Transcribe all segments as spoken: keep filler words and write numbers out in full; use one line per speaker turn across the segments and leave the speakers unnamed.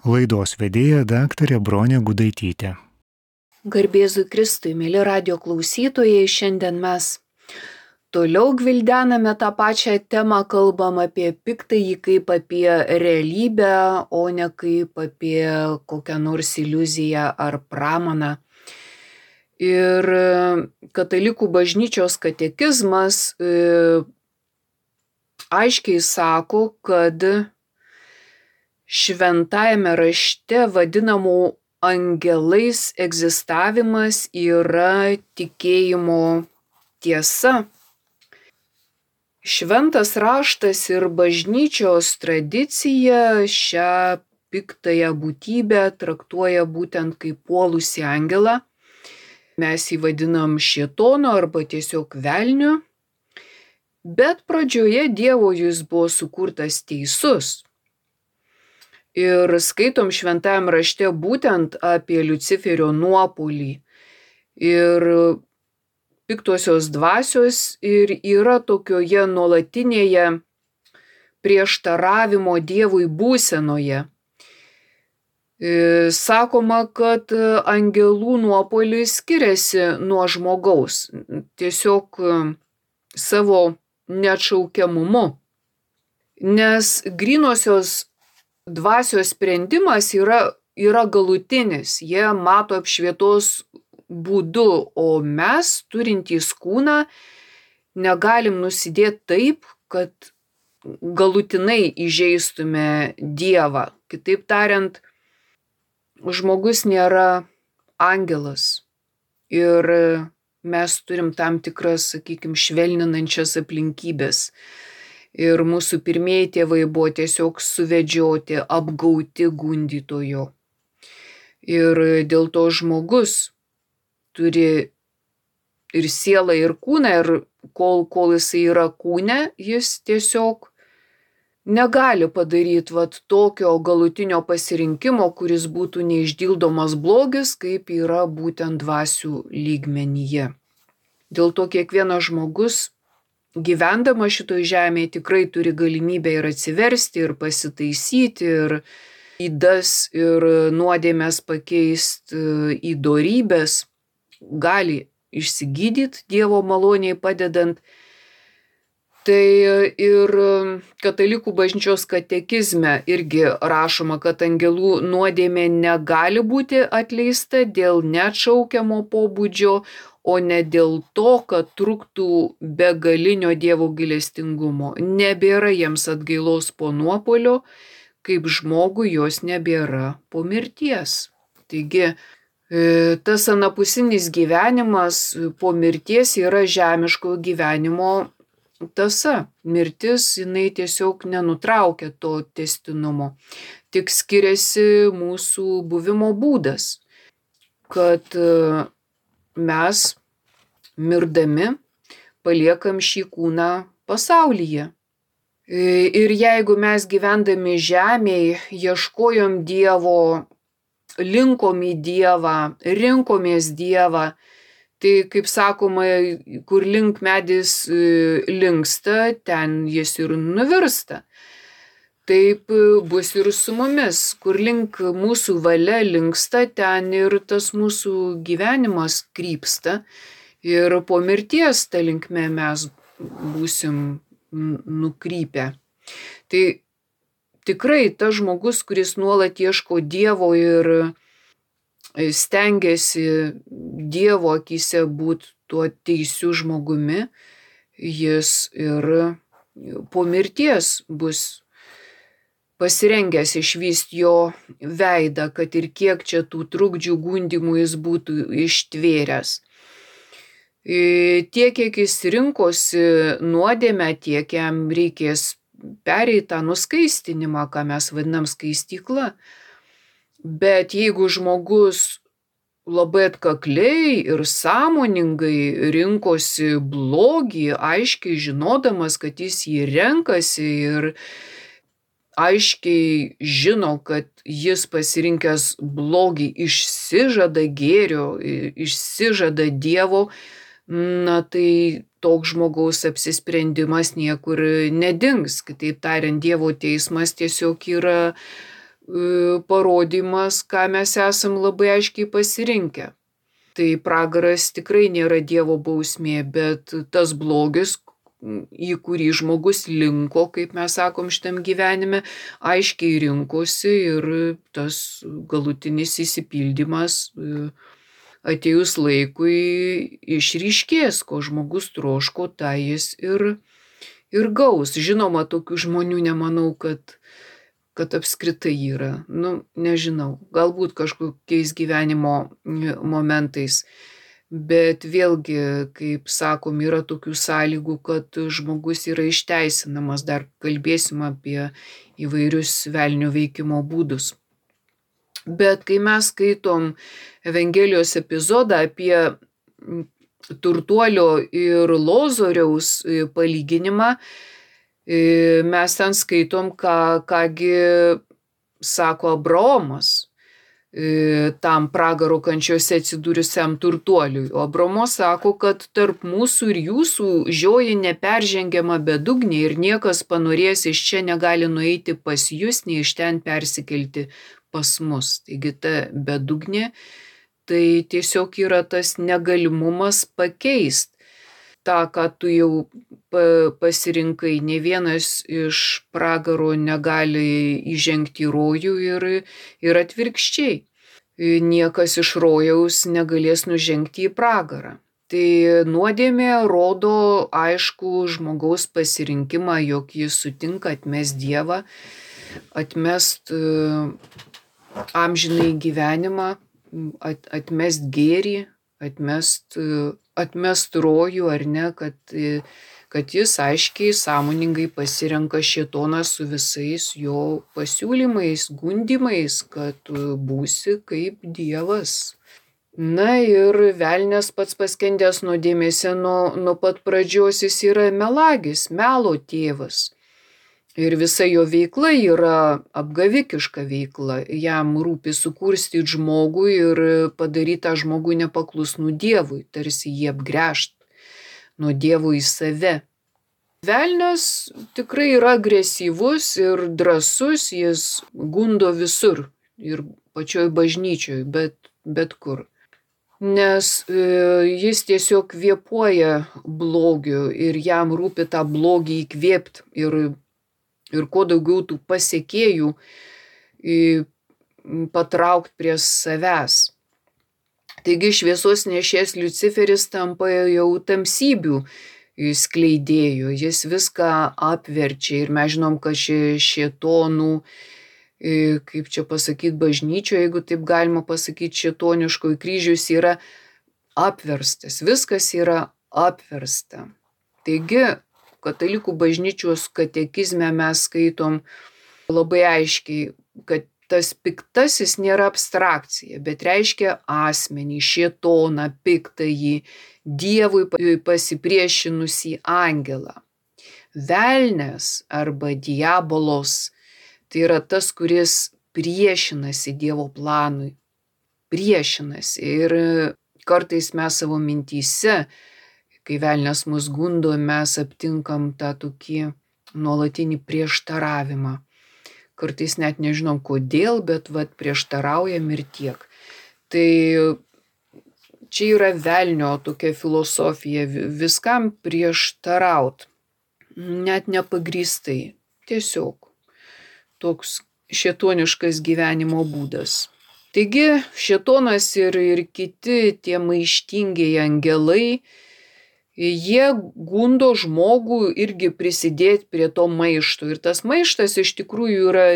Laidos vedėja daktarė Bronė Gudaitytė.
Garbėzui Kristui, mėly radio klausytojai, šiandien mes toliau gvildename tą pačią temą, kalbam apie piktąjį kaip apie realybę, o ne kaip apie kokią nors iliuziją ar pramaną. Ir katalikų bažnyčios katekizmas e, aiškiai sako, kad šventajame rašte vadinamų angelais egzistavimas yra tikėjimo tiesa. Šventas raštas ir bažnyčios tradicija šią piktąją būtybę traktuoja būtent kaip puolusį angelą. Mes jį vadinam šėtonu arba tiesiog velniu. Bet pradžioje Dievo jis buvo sukurtas teisus. Ir skaitom šventajam rašte būtent apie Liuciferio nuopuolį. Ir piktosios dvasios ir yra tokioje nuolatinėje prieštaravimo Dievui būsenoje. Sakoma, kad angelų nuopuolis skiriasi nuo žmogaus, tiesiog savo neatšaukiamumu. Nes grynosios dvasios sprendimas yra, yra galutinis, jie mato apšvietos būdu, o mes, turintys kūną, negalim nusidėti taip, kad galutinai įžeistume Dievą. Kitaip tariant, žmogus nėra angelas ir mes turim tam tikras, sakykime, švelninančias aplinkybės. Ir mūsų pirmieji tėvai buvo tiesiog suvedžioti, apgauti gundytojo. Ir dėl to žmogus turi ir sielą, ir kūną, ir kol, kol jisai yra kūne, jis tiesiog negali padaryti vat tokio galutinio pasirinkimo, kuris būtų neišdildomas blogis, kaip yra būtent dvasių lygmenyje. Dėl to kiekvienas žmogus, gyvendama šitoj žemėje, tikrai turi galimybę ir atsiversti, ir pasitaisyti, ir ydas, ir nuodėmes pakeisti į dorybes, gali išsigydyti Dievo maloniai padedant. Tai ir katalikų bažnyčios katekizme irgi rašoma, kad angelų nuodėmė negali būti atleista dėl neatšaukiamo pobūdžio, o ne dėl to, kad truktų begalinio Dievo gailestingumo. Nebėra jiems atgailos po nuopuolio, kaip žmogui jos nebėra po mirties. Taigi, tas anapusinis gyvenimas po mirties yra žemiško gyvenimo tąsa. Mirtis, jinai tiesiog nenutraukia to tęstinumo. Tik skiriasi mūsų buvimo būdas, kad mes mirdami paliekam šį kūną pasaulyje. Ir jeigu mes gyvendami žemėje ieškojom Dievo, linkom į Dievą, rinkomės Dievą, tai, kaip sakoma, kur link medis linksta, ten jis ir nuvirsta. Taip bus ir su mumis, kur link mūsų valia linksta, ten ir tas mūsų gyvenimas krypsta. Ir po mirties ta linkme mes būsim nukrypę. Tai tikrai tas žmogus, kuris nuolat ieško Dievo ir stengiasi Dievo akyse būti tuo teisiu žmogumi, jis ir po mirties bus pasirengęs išvysti jo veidą, kad ir kiek čia tų trukdžių gundymų jis būtų ištvėręs. Tiek, kiek jis rinkosi nuodėmę, tiek jam reikės pereiti tą nuskaistinimą, ką mes vadinam skaistykla. Bet jeigu žmogus labai atkakliai ir sąmoningai rinkosi blogį, aiškiai žinodamas, kad jis jį renkasi ir aiškiai žino, kad jis pasirinkęs blogį išsižada gėrio, išsižada Dievo, na tai toks žmogaus apsisprendimas niekur nedings. Kitaip tariant, Dievo teismas tiesiog yra parodymas, ką mes esam labai aiškiai pasirinkę. Tai pragaras tikrai nėra Dievo bausmė, bet tas blogis, į kurį žmogus linko, kaip mes sakom šitam gyvenime, aiškiai rinkosi ir tas galutinis įsipildymas atėjus laikui išryškės, ko žmogus troško, tai jis ir, ir gaus. Žinoma, tokių žmonių nemanau, kad, kad apskritai yra. Nu, nežinau, galbūt kažkokiais gyvenimo momentais. Bet vėlgi, kaip sakom, yra tokių sąlygų, kad žmogus yra išteisinamas. Dar kalbėsim apie įvairius velnio veikimo būdus. Bet kai mes skaitom Evangelijos epizodą apie turtuolio ir Lozoriaus palyginimą, mes ten skaitom, ką, kągi sako Abraomas tam pragaro kančiose atsidūrusiam turtuoliui. O Abraomas sako, kad tarp mūsų ir jūsų žioji neperžengiama bedugnė ir niekas panorės iš čia negali nueiti pas jūs, nei iš ten persikelti pas mus. Taigi ta bedugnė, tai tiesiog yra tas negalimumas pakeist tą, ką tu jau pasirinkai. Ne vienas iš pragaro negali įžengti į rojų ir, ir atvirkščiai. Niekas iš rojaus negalės nužengti į pragarą. Tai nuodėmė rodo aišku žmogaus pasirinkimą, jog jis sutinka atmest Dievą, atmest amžinai gyvenimą, atmest gėrį, atmest, atmest rojų, ar ne, kad, kad jis aiškiai, sąmoningai pasirenka šėtoną su visais jo pasiūlymais, gundimais, kad būsi kaip Dievas. Na ir velnias pats paskendęs nuodėmėse nuo, nuo pat pradžios, jis yra melagis, melo tėvas. Ir visa jo veikla yra apgavikiška veikla. Jam rūpi sukurstyti žmogų ir padaryti tą žmogų nepaklusnų Dievui, tarsi jį apgręžt nuo Dievo į save. Velnias tikrai yra agresyvus ir drąsus, jis gundo visur ir pačioj bažnyčioj, bet, bet kur. Nes jis tiesiog kvėpuoja blogiu ir jam rūpi tą blogį įkvėpti ir ir kuo daugiau tų pasekėjų patraukti prie savęs. Taigi šviesos nešėjas Liuciferis tampa jau tamsybių skleidėjų, jis viską apverčia ir mes žinom, kad šėtonų, kaip čia pasakyti, bažnyčioje, jeigu taip galima pasakyti, šėtoniškoji kryžius yra apverstas, viskas yra apversta. Taigi, Katalikų bažnyčios katekizme mes skaitom labai aiškiai, kad tas piktasis nėra abstrakcija, bet reiškia asmenį, šėtoną, piktąjį, Dievui pasipriešinusį angelą. Velnias arba diabolos tai yra tas, kuris priešinasi Dievo planui, priešinasi. Ir kartais mes savo mintyse, kai velnias mus gundo, mes aptinkam tą tokį nuolatinį prieštaravimą. Kartais net nežinom kodėl, bet vat prieštaraujam ir tiek. Tai čia yra velnio tokia filosofija, viskam prieštaraut, net nepagrįstai, tiesiog toks šėtoniškas gyvenimo būdas. Taigi šėtonas ir, ir kiti tie maištingieji angelai, jie gundo žmogų irgi prisidėti prie to maišto. Ir tas maištas iš tikrųjų yra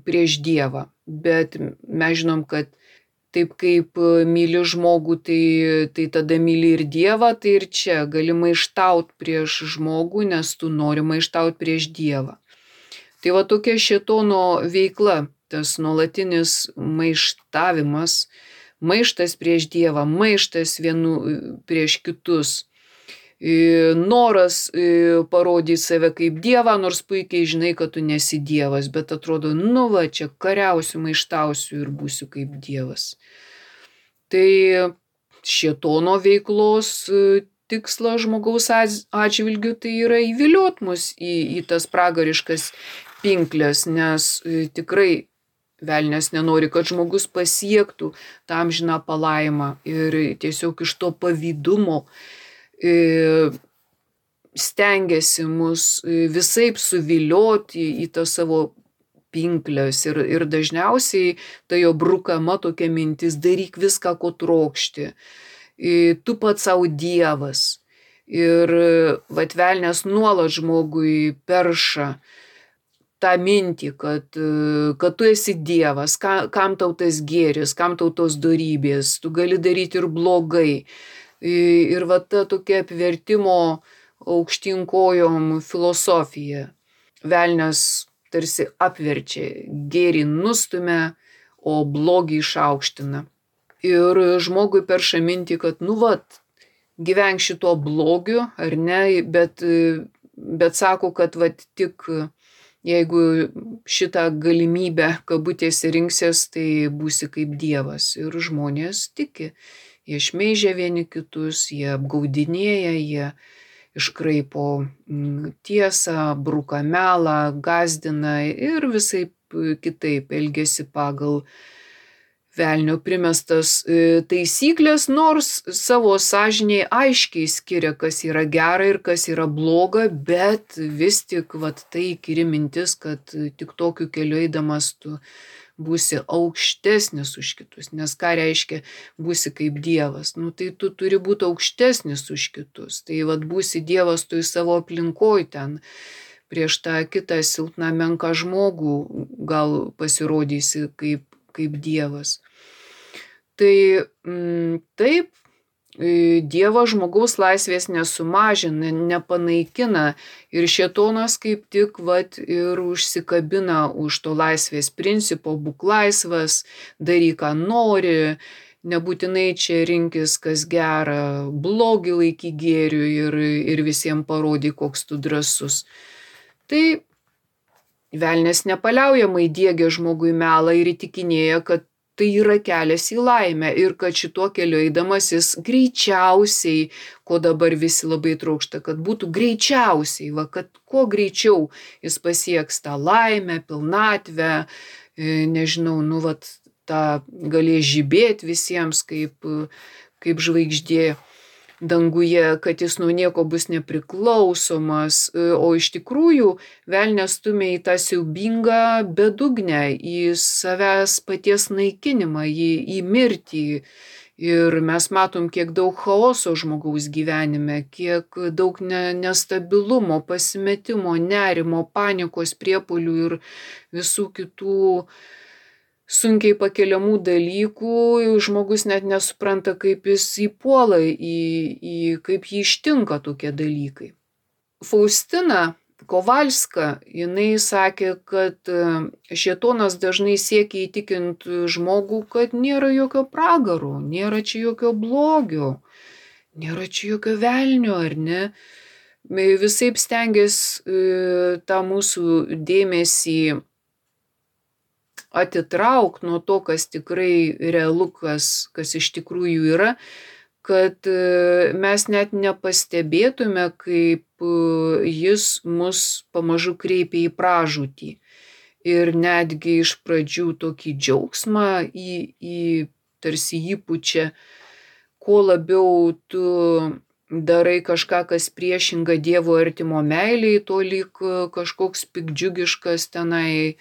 prieš Dievą. Bet mes žinom, kad taip kaip myli žmogų, tai, tai tada myli ir Dievą, tai ir čia gali maištaut prieš žmogų, nes tu nori maištaut prieš Dievą. Tai va tokia šėtono veikla, tas nuolatinis maištavimas, maištas prieš Dievą, maištas vienų prieš kitus, noras parodyti save kaip Dievą, nors puikiai žinai, kad tu nesi Dievas, bet atrodo, nu va, čia kariausiu, maištausiu ir būsiu kaip Dievas. Tai šėtono veiklos tikslas žmogaus atžvilgiu tai yra įviliot mus į, į tas pragariškas pinklės, nes tikrai velnias nenori, kad žmogus pasiektų tą amžiną palaimą ir tiesiog iš to pavydumo stengiasi mus visaip suvilioti į tą savo pinklės ir, ir dažniausiai tai jo brukama tokia mintis: daryk viską, ko trokšti, tu pats savo dievas. Ir vat velnias nuolat žmogui perša tą mintį, kad, kad tu esi dievas, ka, kam tau tas gėris, kam tau tos dorybės, tu gali daryti ir blogai. Ir va ta tokia apvertimo aukštyn kojom filosofija. Velnias tarsi apverčia, gėrį nustumia, o blogį išaukština. Ir žmogui perša mintį, kad nu vat, gyvenk šito blogiu, ar ne, bet, bet sako, kad vat tik jeigu šitą galimybę kabutėse rinksies, tai būsi kaip dievas. Ir žmonės tiki, jie šmeižia vieni kitus, jie apgaudinėja, jie iškraipo tiesą, bruka melą, gąsdina ir visaip kitaip elgiasi pagal velnio primestas taisyklės, nors savo sąžinėje aiškiai skiria, kas yra gera ir kas yra bloga, bet vis tik vat, tai įkyri mintis, kad tik tokiu keliu eidamas tu būsi aukštesnis už kitus. Nes ką reiškia būsi kaip dievas? Nu tai tu turi būti aukštesnis už kitus. Tai vat būsi dievas tu į savo aplinkoj ten. Prieš tą kitą silpną menką žmogų gal pasirodysi kaip kaip dievas. Tai m, taip, Dievo žmogaus laisvės nesumažina, nepanaikina ir šėtonas kaip tik vat, ir užsikabina už to laisvės principo: būk laisvas, daryk ką nori, nebūtinai čia rinkis kas gera, blogį laikyk gėriu ir, ir visiems parodyk, koks tu drąsus. Tai velnias nepaliaujamai diegia žmogui melą ir įtikinėja, kad tai yra kelias į laimę ir kad šituo keliu eidamas jis greičiausiai, ko dabar visi labai trokšta, kad būtų greičiausiai, va, kad kuo greičiau jis pasieks tą laimę, pilnatvę, nežinau, nu, vat, tą galės žibėti visiems kaip, kaip žvaigždė danguje, kad jis nuo nieko bus nepriklausomas, o iš tikrųjų velnias stumia į tą siaubingą bedugnę, į savęs paties naikinimą, į, į mirtį. Ir mes matom, kiek daug chaoso žmogaus gyvenime, kiek daug ne, nestabilumo, pasimetimo, nerimo, panikos priepuolių ir visų kitų sunkiai pakeliamų dalykų. Žmogus net nesupranta, kaip jis įpuola, į, į, kaip jį ištinka tokie dalykai. Faustina Kovalska, jinai sakė, kad šėtonas dažnai siekia įtikinti žmogų, kad nėra jokio pragaro, nėra čia jokio blogio, nėra čia jokio velnio, ar ne? Visaip stengiasi tą mūsų dėmesį atitrauk nuo to, kas tikrai realu, kas, kas iš tikrųjų yra, kad mes net nepastebėtume, kaip jis mus pamažu kreipia į pražūtį. Ir netgi iš pradžių tokį džiaugsmą į, į tarsi įpučia, kuo labiau tu darai kažką, kas priešinga Dievo artimo meiliai, to lyg kažkoks pikdžiugiškas tenai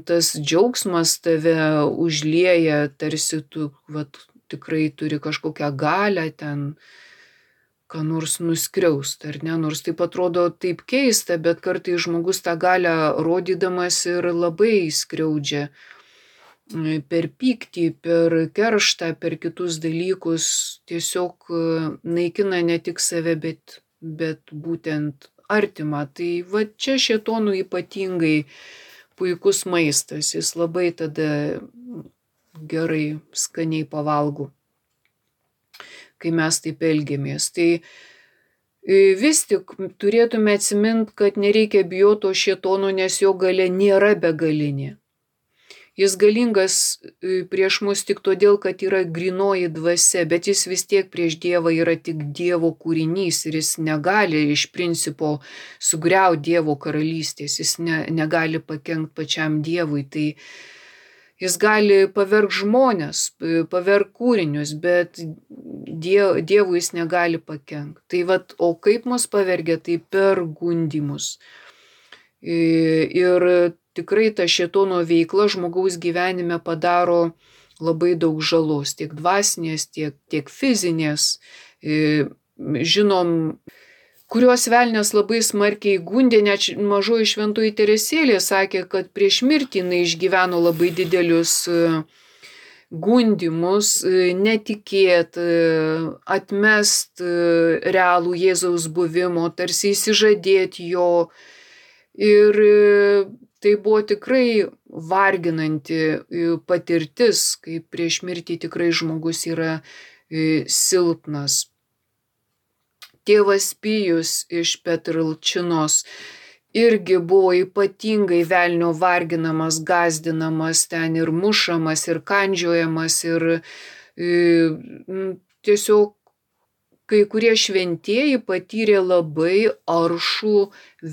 tas džiaugsmas tave užlieja, tarsi tu vat, tikrai turi kažkokią galią ten, ką nors nuskriaust, ar ne? Nors taip atrodo taip keista, bet kartais žmogus tą galią rodydamas ir labai skriaudžia per pyktį, per kerštą, per kitus dalykus, tiesiog naikina ne tik save, bet, bet būtent artimą. Tai va čia šėtonų ypatingai puikus maistas, jis labai tada gerai, skaniai pavalgo, kai mes taip elgiamės. Tai vis tik turėtume atsiminti, kad nereikia bijoti to šėtono, nes jo galia nėra begalinė. Jis galingas prieš mus tik todėl, kad yra grynoji dvasia, bet jis vis tiek prieš Dievą yra tik Dievo kūrinys ir jis negali iš principo sugriauti Dievo karalystės, jis ne, negali pakenkti pačiam Dievui. Tai jis gali paverg žmonės, paverg kūrinius, bet diev, Dievui jis negali pakenkti. Tai vat, o kaip mus pavergia, tai per gundymus. Ir tikrai ta šėtono veikla žmogaus gyvenime padaro labai daug žalos, tiek dvasinės, tiek, tiek fizinės. Žinom, kuriuos velnias labai smarkiai gundė, net mažoji šventoji Teresėlė sakė, kad prieš mirtį jinai išgyveno labai didelius gundymus, netikėt, atmest realų Jėzaus buvimo, tarsi įsižadėti jo. Ir tai buvo tikrai varginanti patirtis, kai prieš mirtį tikrai žmogus yra silpnas. Tėvas Pijus iš Petralčinos irgi buvo ypatingai velnio varginamas, gazdinamas, ten ir mušamas, ir kandžiojamas, ir tiesiog kai kurie šventieji patyrė labai aršų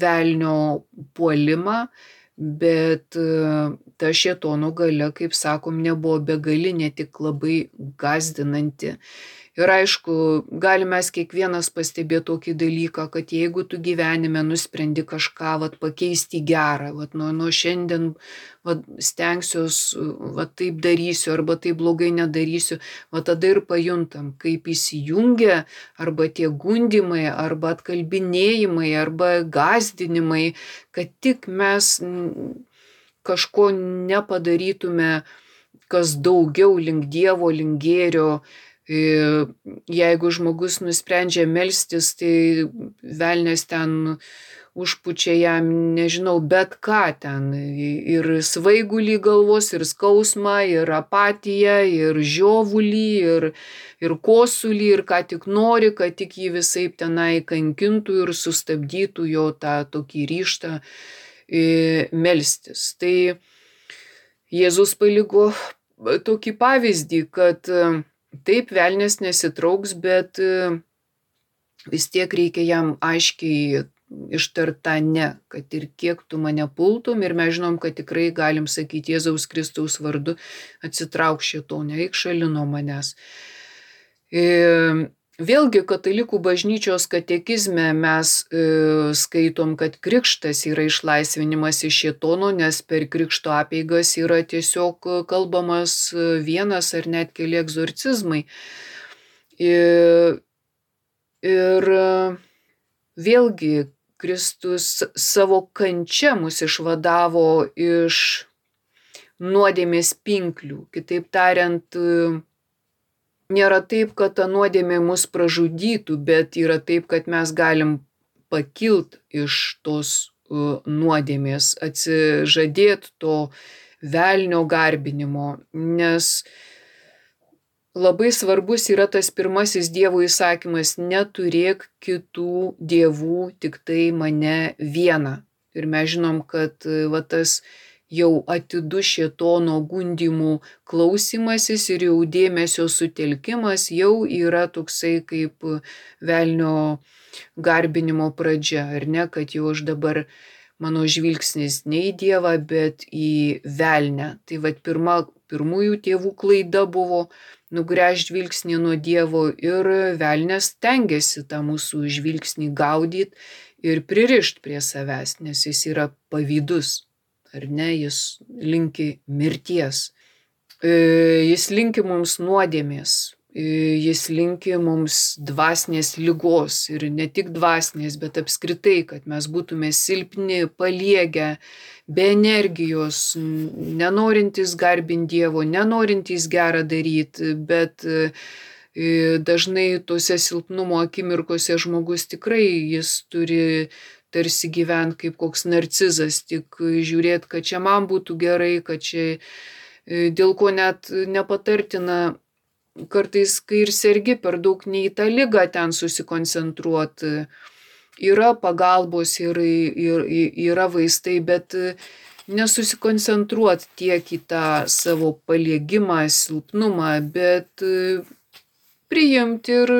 velnio puolimą, bet ta šėtono galia, kaip sakom, nebuvo begalinė, tik labai gazdinanti. Ir aišku, galime mes kiekvienas pastebėti tokį dalyką, kad jeigu tu gyvenime nusprendi kažką vat, pakeisti gerą, vat, nuo, nuo šiandien vat, stengsiuos, vat, taip darysiu arba taip blogai nedarysiu, vat, tada ir pajuntam, kaip įsijungia arba tie gundymai, arba atkalbinėjimai, arba gazdinimai, kad tik mes kažko nepadarytume, kas daugiau link Dievo, link gėrio. Jeigu žmogus nusprendžia melstis, tai velnias ten užpučia jam, nežinau, bet ką ten. Ir svaigulį galvos, ir skausmą, ir apatiją, ir žiovulį, ir, ir kosulį, ir ką tik nori, kad tik jį visaip tenai kankintų ir sustabdytų jo tą tokį ryžtą melstis. Tai Jėzus paliko tokį pavyzdį, kad taip, velnias nesitrauks, bet vis tiek reikia jam aiškiai ištarta ne, kad ir kiek tu mane pultum, ir mes žinom, kad tikrai galim sakyti Jėzaus Kristaus vardu, atsitrauk šėtone, eik šalin nuo manęs. Vėlgi katalikų bažnyčios katekizme mes e, skaitom, kad krikštas yra išlaisvinimas iš šėtono, nes per krikšto apeigas yra tiesiog kalbamas vienas ar net keli egzorcizmai. Ir, ir vėlgi Kristus savo kančia mus išvadavo iš nuodėmės pinklių. Kitaip tariant, nėra taip, kad ta nuodėmė mus pražudytų, bet yra taip, kad mes galim pakilt iš tos nuodėmės, atsižadėti to velnio garbinimo, nes labai svarbus yra tas pirmasis Dievo įsakymas: neturėk kitų dievų, tik tai mane vieną. Ir mes žinom, kad va, tas jau atidus šėtono gundymų klausymasis ir jau dėmesio sutelkimas jau yra toksai kaip velnio garbinimo pradžia, ar ne, kad jau aš dabar, mano žvilgsnis ne į Dievą, bet į velnę. Tai va, pirma, pirmųjų tėvų klaida buvo nugręžti žvilgsnį nuo Dievo, ir velnias stengiasi tą mūsų žvilgsnį gaudyti ir pririšti prie savęs, nes jis yra pavydus. Ar ne, jis linki mirties, jis linki mums nuodėmės, jis linki mums dvasinės ligos, ir ne tik dvasinės, bet apskritai, kad mes būtume silpni, paliegę, be energijos, nenorintys garbinti Dievo, nenorintys gerą daryti, bet dažnai tose silpnumo akimirkose žmogus tikrai jis turi tarsi gyventi kaip koks narcizas, tik žiūrėti, kad čia man būtų gerai, kad čia dėl ko net nepatartina kartais, kai ir sergi, per daug ne į tą ligą ten susikoncentruoti. Yra pagalbos ir, ir, yra vaistai, bet nesusikoncentruoti tiek į tą savo paliegimą, silpnumą, bet priimti ir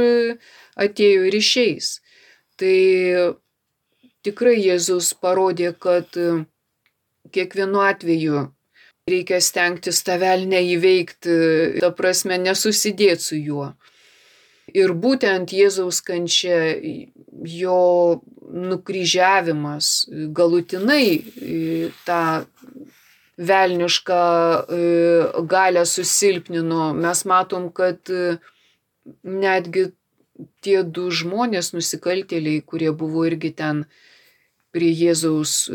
atėjo ir išeis. Tai tikrai Jėzus parodė, kad kiekvienu atveju reikia stengtis tą velnią įveikti, ta prasme nesusidėti su juo. Ir būtent Jėzaus kančia, jo nukryžiavimas galutinai tą velnišką galią susilpnino. Mes matom, kad netgi tie du žmonės, nusikaltėliai, kurie buvo irgi ten prie Jėzaus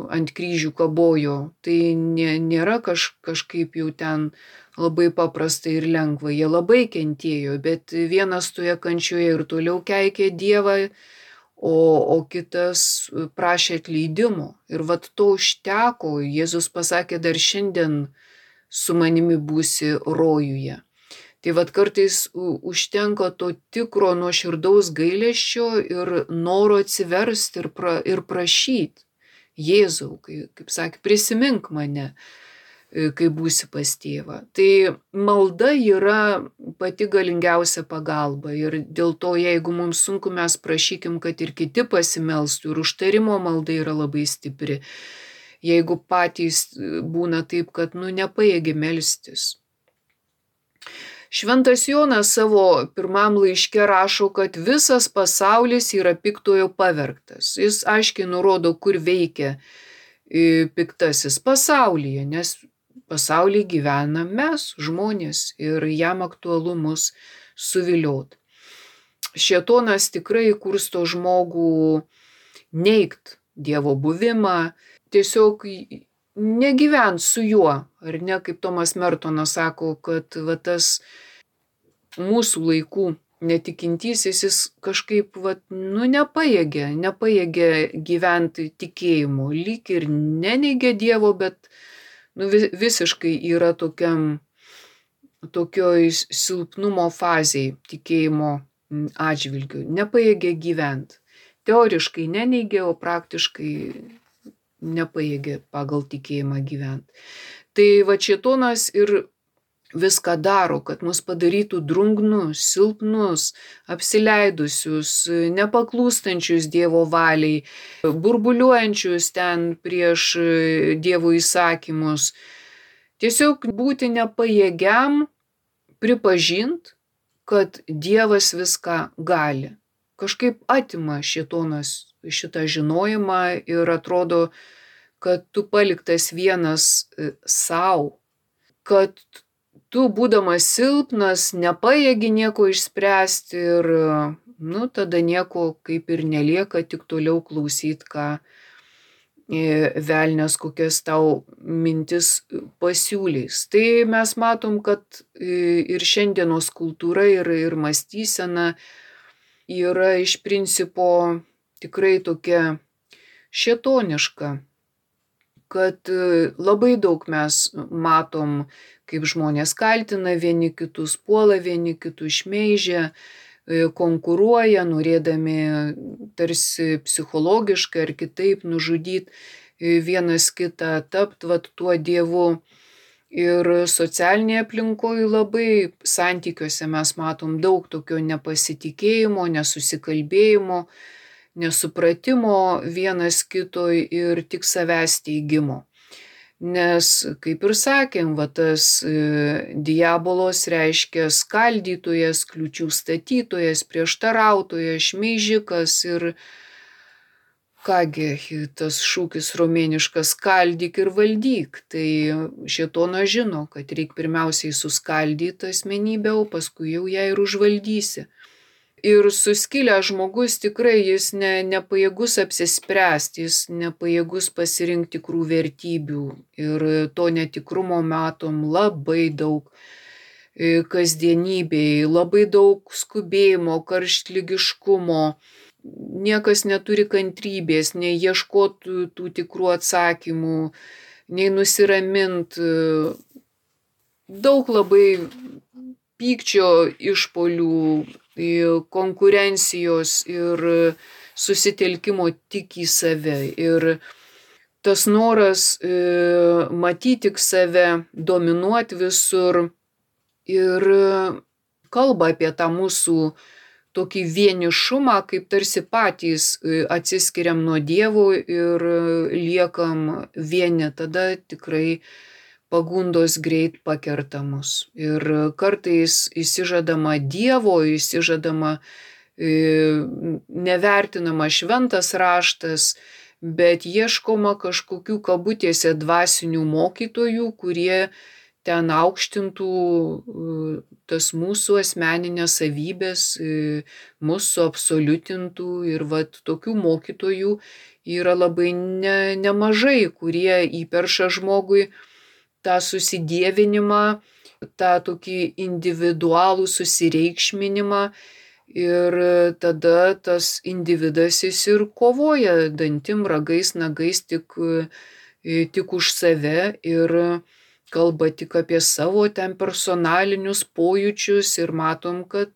ant kryžių kabojo, tai nėra kaž, kažkaip jau ten labai paprasta ir lengva. Jie labai kentėjo, bet vienas toje kančioje ir toliau keikė Dievą, o, o kitas prašė atleidimo. Ir vat to užteko. Jėzus pasakė, dar šiandien su manimi būsi rojuje. Tai vat kartais užtenka to tikro nuoširdaus gailesčio ir noro atsiversti ir, pra, ir prašyti. Jėzau, kaip, kaip sakė, prisimink mane, kai būsi pas tėvą. Tai malda yra pati galingiausia pagalba ir dėl to, jeigu mums sunku, mes prašykim, kad ir kiti pasimelstų, ir užtarimo malda yra labai stipri. Jeigu patys būna taip, kad nu nepajėgi melstis. Šventas Jonas savo pirmam laiške rašo, kad visas pasaulis yra piktojo pavergtas. Jis aiškiai nurodo, kur veikia piktasis pasaulyje, nes pasaulyje gyvena mes, žmonės, ir jam aktualu mus suviliot. Šėtonas tikrai kursto žmogų neigt Dievo buvimą, tiesiog negyvent su juo, ar ne, kaip Tomas Mertonas sako, kad va, tas mūsų laikų netikintysis, jis kažkaip va, nu, nepajėgia, nepajėgia gyventi tikėjimu, lyg ir neneigia Dievo, bet nu, visiškai yra tokiam, tokioj silpnumo fazėj tikėjimo atžvilgiu, nepajėgia gyventi. Teoriškai neneigia, o praktiškai nepajėgia pagal tikėjimą gyventi. Tai va šėtonas ir viską daro, kad mus padarytų drungnus, silpnus, apsileidusius, nepaklūstančius Dievo valiai, burbuliuojančius ten prieš Dievo įsakymus. Tiesiog būti nepajėgiam pripažint, kad Dievas viską gali. Kažkaip atima šėtonas šitą žinojimą ir atrodo, kad tu paliktas vienas sau, kad tu, būdamas silpnas, nepajėgi nieko išspręsti ir, nu, tada nieko kaip ir nelieka, tik toliau klausyt, ką velnias kokias tau mintis pasiūlys. Tai mes matom, kad ir šiandienos kultūra ir, ir mąstysena yra iš principo tikrai tokia šėtoniška, kad labai daug mes matom, kaip žmonės kaltina vieni kitus, puola vieni kitus, šmeižia, konkuruoja, norėdami tarsi psichologiškai ar kitaip nužudyti vienas kitą, tapt vat tuo dievu. Ir socialinėje aplinkoje labai santykiuose mes matom daug tokio nepasitikėjimo, nesusikalbėjimo, nesupratimo vienas kito ir tik savęs teigimo. Nes, kaip ir sakėm, va, tas diabolos reiškia skaldytojas, kliūčių statytojas, prieštarautojas, šmeižikas ir kągi, tas šūkis romėniškas skaldyk ir valdyk. Tai šėtonas žino, kad reikia pirmiausiai suskaldyti asmenybę, o paskui jau ją ir užvaldysi. Ir suskilęs žmogus tikrai jis ne, nepajėgus apsispręsti, jis nepajėgus pasirinkti tikrų vertybių. Ir to netikrumo matom labai daug kasdienybėje, labai daug skubėjimo, karštligiškumo. Niekas neturi kantrybės, nei ieškot tų tikrų atsakymų, nei nusiramint. Daug labai pykčio išpolių, konkurencijos ir susitelkimo tik į save. Ir tas noras e, matyti tik save, dominuoti visur ir kalba apie tą mūsų tokį vienišumą, kaip tarsi patys atsiskiriam nuo Dievo ir liekam vieni, tada tikrai pagundos greit pakerta mus. Ir kartais įsižadama Dievo, įsižadama nevertinama šventas raštas, bet ieškoma kažkokių kabutėse dvasinių mokytojų, kurie ten aukštintų tas mūsų asmeninės savybės, mūsų absoliutintų ir vat tokių mokytojų yra labai ne, nemažai, kurie įperša žmogui tą susidievinimą, tą tokį individualų susireikšminimą ir tada tas individas jis ir kovoja dantim, ragais, nagais tik, tik už save ir kalba tik apie savo ten personalinius pojūčius ir matom, kad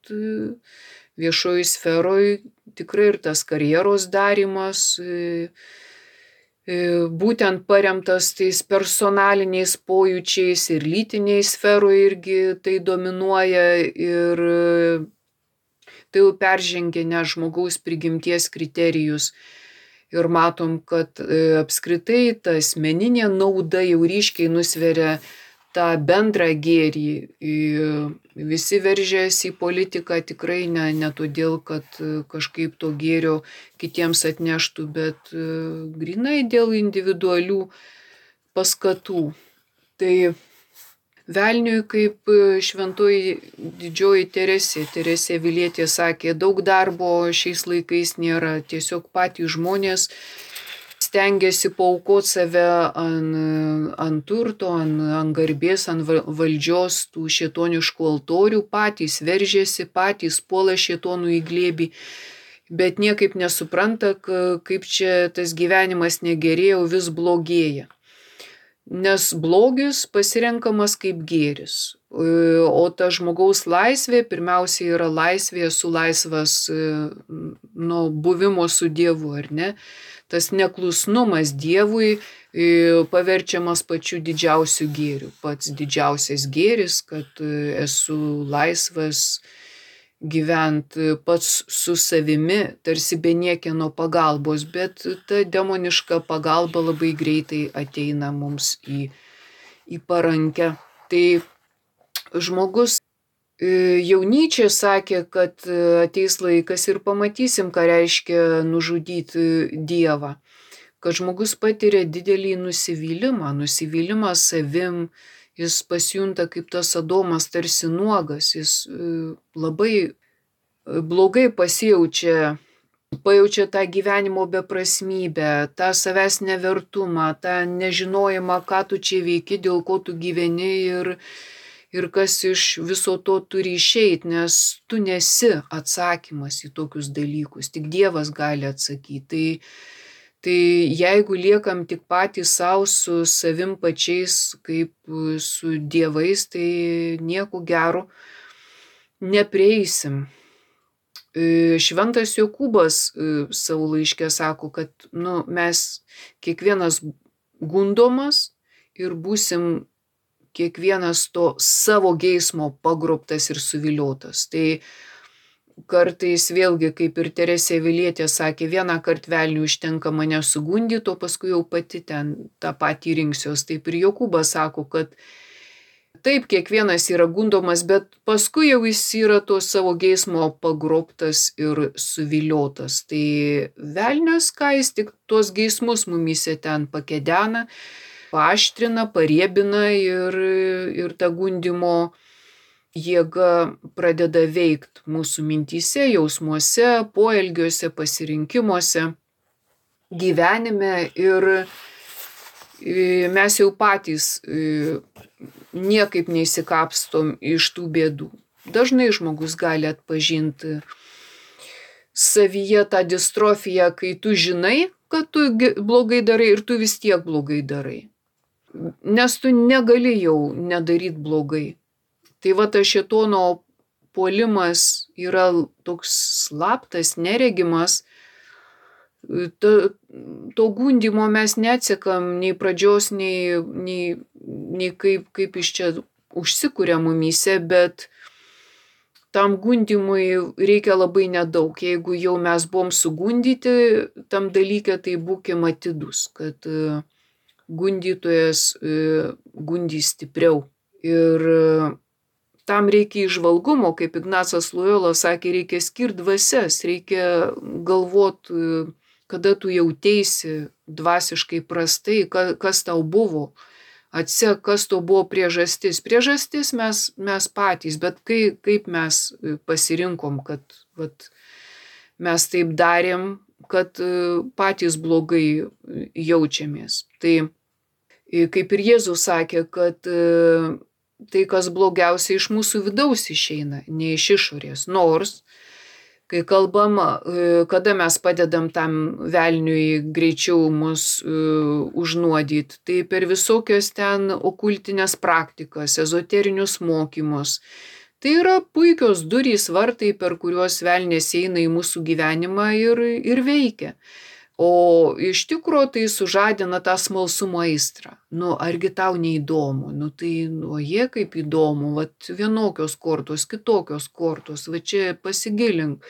viešoji sferoje tikrai ir tas karjeros darymas būtent paremtas tais personaliniais pojūčiais ir lytiniai sferoje irgi tai dominuoja ir tai jau peržengia ne žmogaus prigimties kriterijus. Ir matom, kad apskritai ta asmeninė nauda jau ryškiai nusveria tą bendrą gėrį. Visi veržėsi į politiką tikrai ne, ne todėl, kad kažkaip to gėrio kitiems atneštų, bet grynai dėl individualių paskatų. Tai velniui, kaip šventoji didžioji Teresė, Teresė Avilietė sakė, daug darbo šiais laikais nėra, tiesiog patys žmonės stengiasi paaukoti save ant, ant turto, ant, ant garbės, ant valdžios tų šėtoniškų altorių, patys veržėsi, patys puola šėtonų į glėbį, bet niekaip nesupranta, kaip čia tas gyvenimas negerėjo, vis blogėja. Nes blogis pasirenkamas kaip gėris, o ta žmogaus laisvė pirmiausia yra laisvė, esu laisvas nuo buvimo su Dievu, ar ne? Tas neklusnumas Dievui paverčiamas pačiu didžiausiu gėriu. Pats didžiausias gėris, kad esu laisvas gyventi pats su savimi, tarsi be niekieno pagalbos, bet ta demoniška pagalba labai greitai ateina mums į, į parankę. Tai žmogus, jau Nyčė sakė, kad ateis laikas ir pamatysim, ką reiškia nužudyti Dievą. Kad žmogus patiria didelį nusivylimą, nusivylimą savim, jis pasijunta kaip tas Adomas tarsi nuogas, jis labai blogai pasijaučia, pajaučia tą gyvenimo beprasmybę, tą savęs nevertumą, tą nežinojimą, ką tu čia veiki, dėl ko tu gyveni ir, ir kas iš viso to turi išeiti, nes tu nesi atsakymas į tokius dalykus, tik Dievas gali atsakyti. Tai Tai jeigu liekam tik patys savo su savim pačiais kaip su dievais, tai nieko gero neprieisim. Šventas Jokūbas savo laiške sako, kad nu, mes kiekvienas gundomas ir būsim kiekvienas to savo geismo pagrobtas ir suviliotas. Tai kartais vėlgi, kaip ir Teresė Avilietė sakė, vieną kart velniui užtenka mane sugundyti, o paskui jau pati ten tą patį rinksiuos. Taip ir Jokūbas sako, kad taip, kiekvienas yra gundomas, bet paskui jau jis yra to savo geismo pagrobtas ir suviliotas. Tai velnias, ką jis tik tuos geismus mumyse ten pakedena, paaštrina, pariebina ir, ir tą gundimo jėga pradeda veikti mūsų mintyse, jausmuose, poelgiuose, pasirinkimuose, gyvenime ir mes jau patys niekaip neįsikapstom iš tų bėdų. Dažnai žmogus gali atpažinti savyje tą distrofiją, kai tu žinai, kad tu blogai darai ir tu vis tiek blogai darai. Nes tu negali jau nedaryti blogai. Tai va tas šėtono puolimas yra toks slaptas, neregimas, Ta, to gundymo mes neatsekam nei pradžios, nei, nei, nei kaip, kaip iš čia užsikuria mumyse, bet tam gundymui reikia labai nedaug. Jeigu jau mes buvom sugundyti tam dalyke, tai būkim atidus, kad gundytojas gundys stipriau. Ir tam reikia įžvalgumo, kaip Ignacas Lojola sakė, reikia skirti dvasias, reikia galvot, kada tu jauteisi dvasiškai prastai, kas tau buvo. Atsek, kas to buvo priežastis. Priežastis mes, mes patys, bet kai, kaip mes pasirinkom, kad vat, mes taip darėm, kad patys blogai jaučiamės. Tai kaip ir Jėzus sakė, kad tai, kas blogiausia iš mūsų vidaus išeina, ne iš išorės. Nors, kai kalbam, kada mes padedam tam velniui greičiau mus uh, užnuodyti, tai per visokias ten okultinės praktikas, ezoterinius mokymus. Tai yra puikios durys, vartai, per kuriuos velnės eina į mūsų gyvenimą ir, ir veikia. O iš tikro tai sužadina tą smalsumo aistrą. Nu, argi tau neįdomu? Nu, tai, nu, jie kaip įdomu, vat vienokios kortos, kitokios kortos, va čia pasigilink,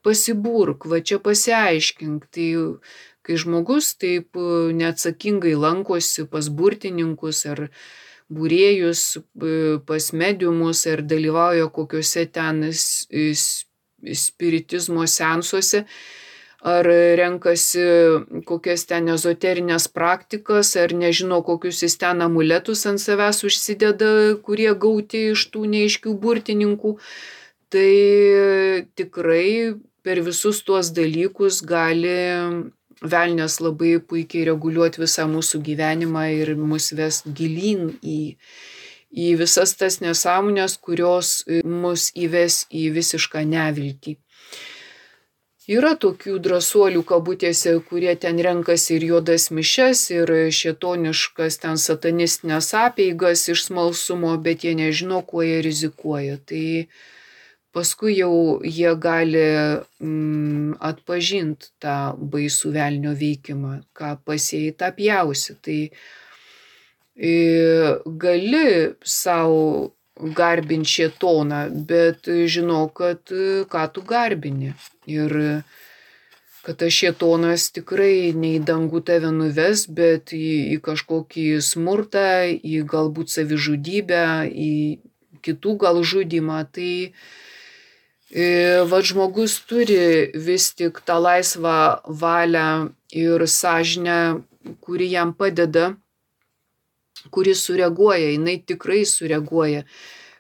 pasiburk, va čia pasiaiškink. Tai, kai žmogus taip neatsakingai lankosi pas burtininkus ar būrėjus, pas mediumus ar dalyvauja kokiuose ten spiritizmo seansuose, ar renkasi kokias ten ezoterinės praktikas, ar nežino, kokius jis ten amuletus ant savęs užsideda, kurie gauti iš tų neaiškių burtininkų, tai tikrai per visus tuos dalykus gali velnias labai puikiai reguliuoti visą mūsų gyvenimą ir mus ves gilyn į, į visas tas nesąmonės, kurios mus įves į visišką neviltį. Yra tokių drąsuolių kabutėse, kurie ten renkasi ir juodas mišes, ir šėtoniškas ten satanistinės apeigas iš smalsumo, bet jie nežino, kuo jie rizikuoja. Tai paskui jau jie gali mm, atpažinti tą baisų velnio veikimą, ką pasėjai tą pjausi. Tai e, gali savo garbinti šėtoną, bet žinau, kad ką tu garbini. Ir kad tas šėtonas tikrai ne į dangų tave nuves, bet į, į kažkokį smurtą, į galbūt savižudybę, į kitų gal žudymą. Tai e, va, žmogus turi vis tik tą laisvą valią ir sąžinę, kuri jam padeda, kuri sureaguoja, jinai tikrai sureaguoja.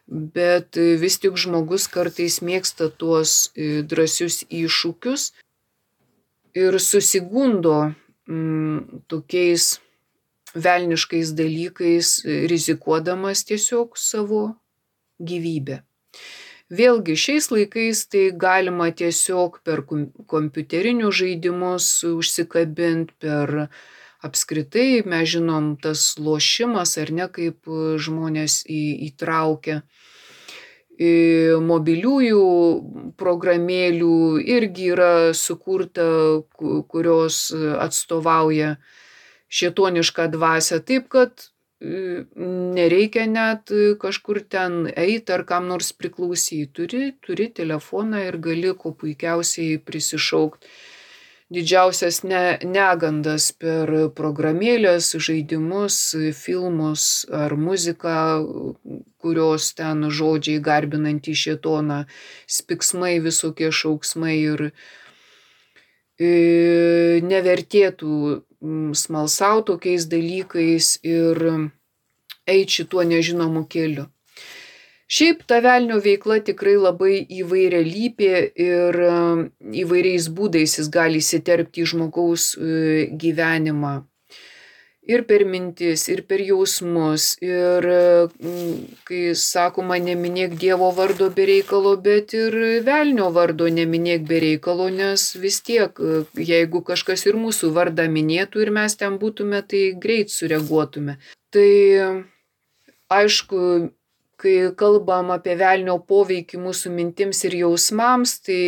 Bet vis tik žmogus kartais mėgsta tuos drąsius iššūkius ir susigundo mm, tokiais velniškais dalykais, rizikuodamas tiesiog savo gyvybę. Vėlgi, šiais laikais tai galima tiesiog per kompiuterinius žaidimus užsikabinti, per apskritai, mes žinom, tas lošimas ar ne, kaip žmonės į, įtraukia. Mobiliųjų programėlių irgi yra sukurta, kurios atstovauja šėtonišką dvasią, taip kad nereikia net kažkur ten eiti ar kam nors priklausyti. Turi, turi telefoną ir gali kuo puikiausiai prisišaukti didžiausias ne, negandas per programėlės, žaidimus, filmus ar muziką, kurios ten žodžiai garbinantį šėtoną, spiksmai, visokie šauksmai ir e, nevertėtų smalsauti tokiais dalykais ir eiti šituo nežinomu keliu. Šiaip ta velnio veikla tikrai labai įvairialypė ir įvairiais būdais jis gali įsiterpti į žmogaus gyvenimą. Ir per mintis, ir per jausmus, ir kai sakoma neminėk Dievo vardo be reikalo, bet ir velnio vardo neminėk be reikalo, nes vis tiek, jeigu kažkas ir mūsų vardą minėtų ir mes ten būtume, tai greit sureaguotume. Tai aišku, kai kalbam apie velnio poveikį mūsų mintims ir jausmams, tai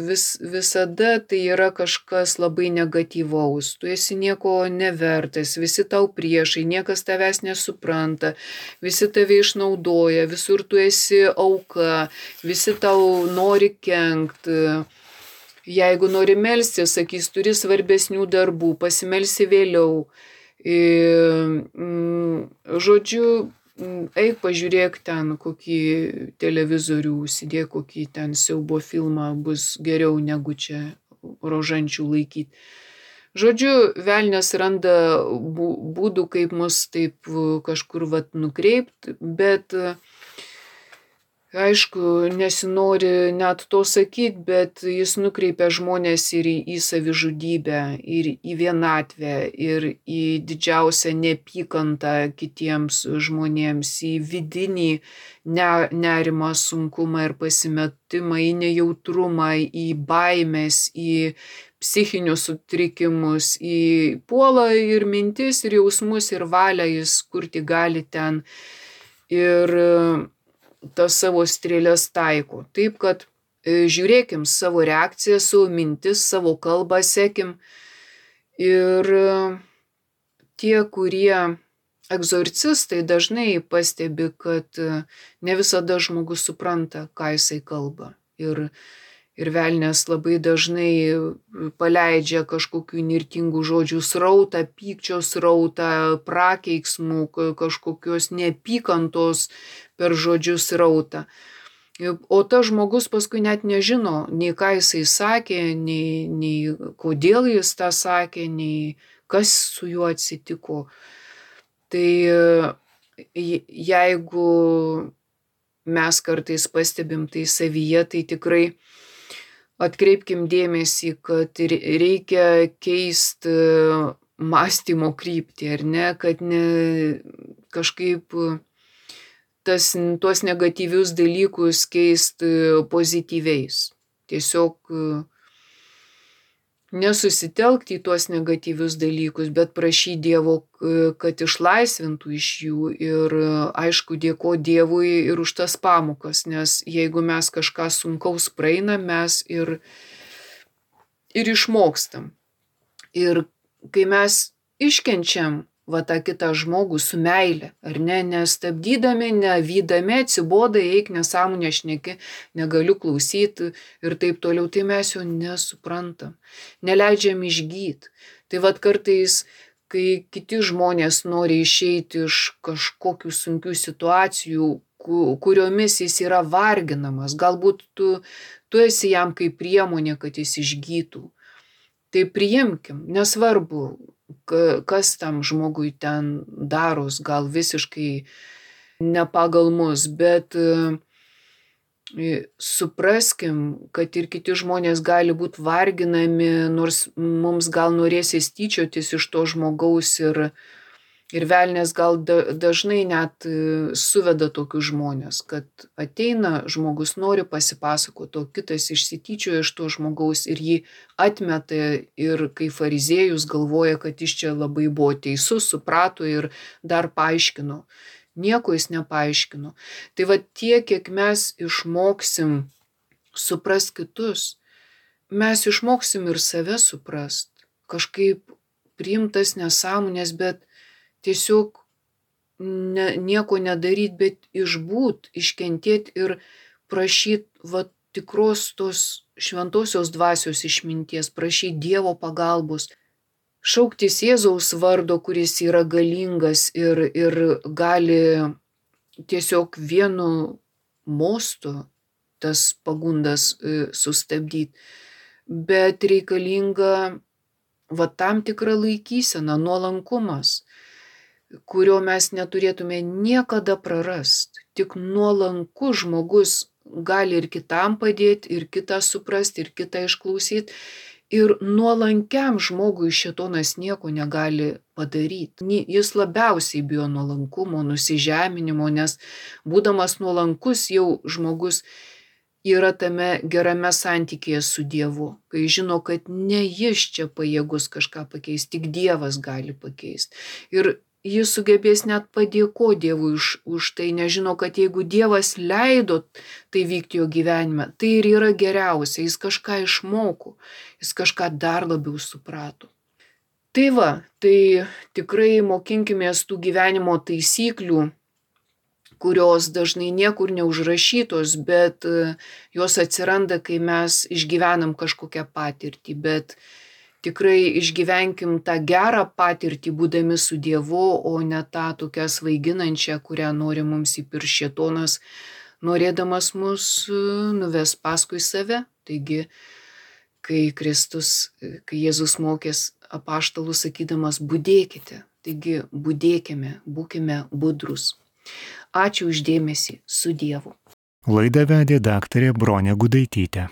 vis, visada tai yra kažkas labai negatyvaus. Tu esi nieko nevertas, visi tau priešai, niekas tavęs nesupranta, visi tave išnaudoja, visur tu esi auka, visi tau nori kenkt. Jeigu nori melstis, sakys, turi svarbesnių darbų, pasimelsi vėliau. Žodžiu, eik pažiūrėk ten kokį televizorių, užsidėk kokį ten siaubo filmą, bus geriau negu čia rožančių laikyti. Žodžiu, velnias randa būdų, kaip mus taip kažkur vat nukreipti, bet aišku, nesinori net to sakyti, bet jis nukreipia žmonės ir į, į savižudybę, ir į vienatvę, ir į didžiausią neapykantą kitiems žmonėms, į vidinį ne, nerimą, sunkumą ir pasimetimą, į nejautrumą, į baimės, į psichinius sutrikimus, į puolą ir mintis, ir jausmus, ir valią jis kur tik gali ten. Ir tas savo strėlės taiko. Taip, kad žiūrėkim savo reakciją, savo mintis, savo kalbą sekim. Ir tie, kurie egzorcistai, dažnai pastebi, kad ne visada žmogus supranta, ką jisai kalba. Ir, ir velnias labai dažnai paleidžia kažkokių nirtingų žodžių srautą, pykčio srautą, prakeiksmų, kažkokios neapykantos per žodžius srautą. O tas žmogus paskui net nežino, nei ką jisai sakė, nei, nei kodėl jis tą sakė, nei kas su juo atsitiko. Tai jeigu mes kartais pastebim tai savyje, tai tikrai atkreipkim dėmesį, kad reikia keisti mąstymo kryptį, ar ne, kad ne kažkaip tas, tuos negatyvius dalykus keisti pozityviais. Tiesiog nesusitelkti į tuos negatyvius dalykus, bet prašyti Dievo, kad išlaisvintų iš jų ir aišku dėkoti Dievui ir už tas pamokas, nes jeigu mes kažką sunkaus praeinam, mes ir, ir išmokstam. Ir kai mes iškenčiam va tą kitą žmogų su meile, ar ne, nestabdydami, nevydami, atsiboda, eik, nesąmonę šneki, negaliu klausyti ir taip toliau, tai mes jo nesuprantam, neleidžiam išgyti. Tai vat kartais, kai kiti žmonės nori išeiti iš kažkokių sunkių situacijų, kuriomis jis yra varginamas, galbūt tu, tu esi jam kaip priemonė, kad jis išgytų. Tai priimkim, nesvarbu, kas tam žmogui ten daros, gal visiškai ne pagal mus, bet supraskim, kad ir kiti žmonės gali būti varginami, nors mums gal norėsis tyčiotis iš to žmogaus ir, ir velnias gal da, dažnai net suveda tokius žmonės, kad ateina žmogus, nori pasipasakoti, o kitas išsityčioja iš to žmogaus ir jį atmeta ir kai fariziejus galvoja, kad jis čia labai buvo teisus, suprato ir dar paaiškino. Nieko jis nepaaiškino. Tai va tiek, kiek mes išmoksim suprast kitus, mes išmoksim ir save suprast, kažkaip priimtas nesąmonės, bet tiesiog ne, nieko nedaryt, bet išbūt, iškentėt ir prašyt va tikros tos šventosios dvasios išminties, prašyt Dievo pagalbos, šauktis Jėzaus vardo, kuris yra galingas ir, ir gali tiesiog vienu mostu tas pagundas sustabdyti, bet reikalinga va tam tikra laikysena, nuolankumas, kurio mes neturėtume niekada prarast. Tik nuolankus žmogus gali ir kitam padėti, ir kitą suprasti, ir kitą išklausyti. Ir nuolankiam žmogui šėtonas nieko negali padaryti. Jis labiausiai bijo nuolankumo, nusižeminimo, nes būdamas nuolankus jau žmogus yra tame gerame santykėje su Dievu, kai žino, kad ne jis čia pajėgus kažką pakeisti, tik Dievas gali pakeisti. Ir jis sugebės net padėkoti Dievui už, už tai, nežino, kad jeigu Dievas leido tai vykti jo gyvenime, tai ir yra geriausia, jis kažką išmoko, jis kažką dar labiau suprato. Tai va, tai tikrai mokinkimės tų gyvenimo taisyklių, kurios dažnai niekur neužrašytos, bet jos atsiranda, kai mes išgyvenam kažkokią patirtį, bet tikrai išgyvenkim tą gerą patirtį, būdami su Dievu, o ne tą tokią svaiginančią, kurią nori mums įpiršti šėtonas, norėdamas mus nuves paskui save. Taigi, kai Kristus, kai Jėzus mokės apaštalus sakydamas, budėkite, taigi budėkime, būkime budrus. Ačiū už dėmesį, su Dievu.
Laidą vedė daktarė Bronė Gudaitytė.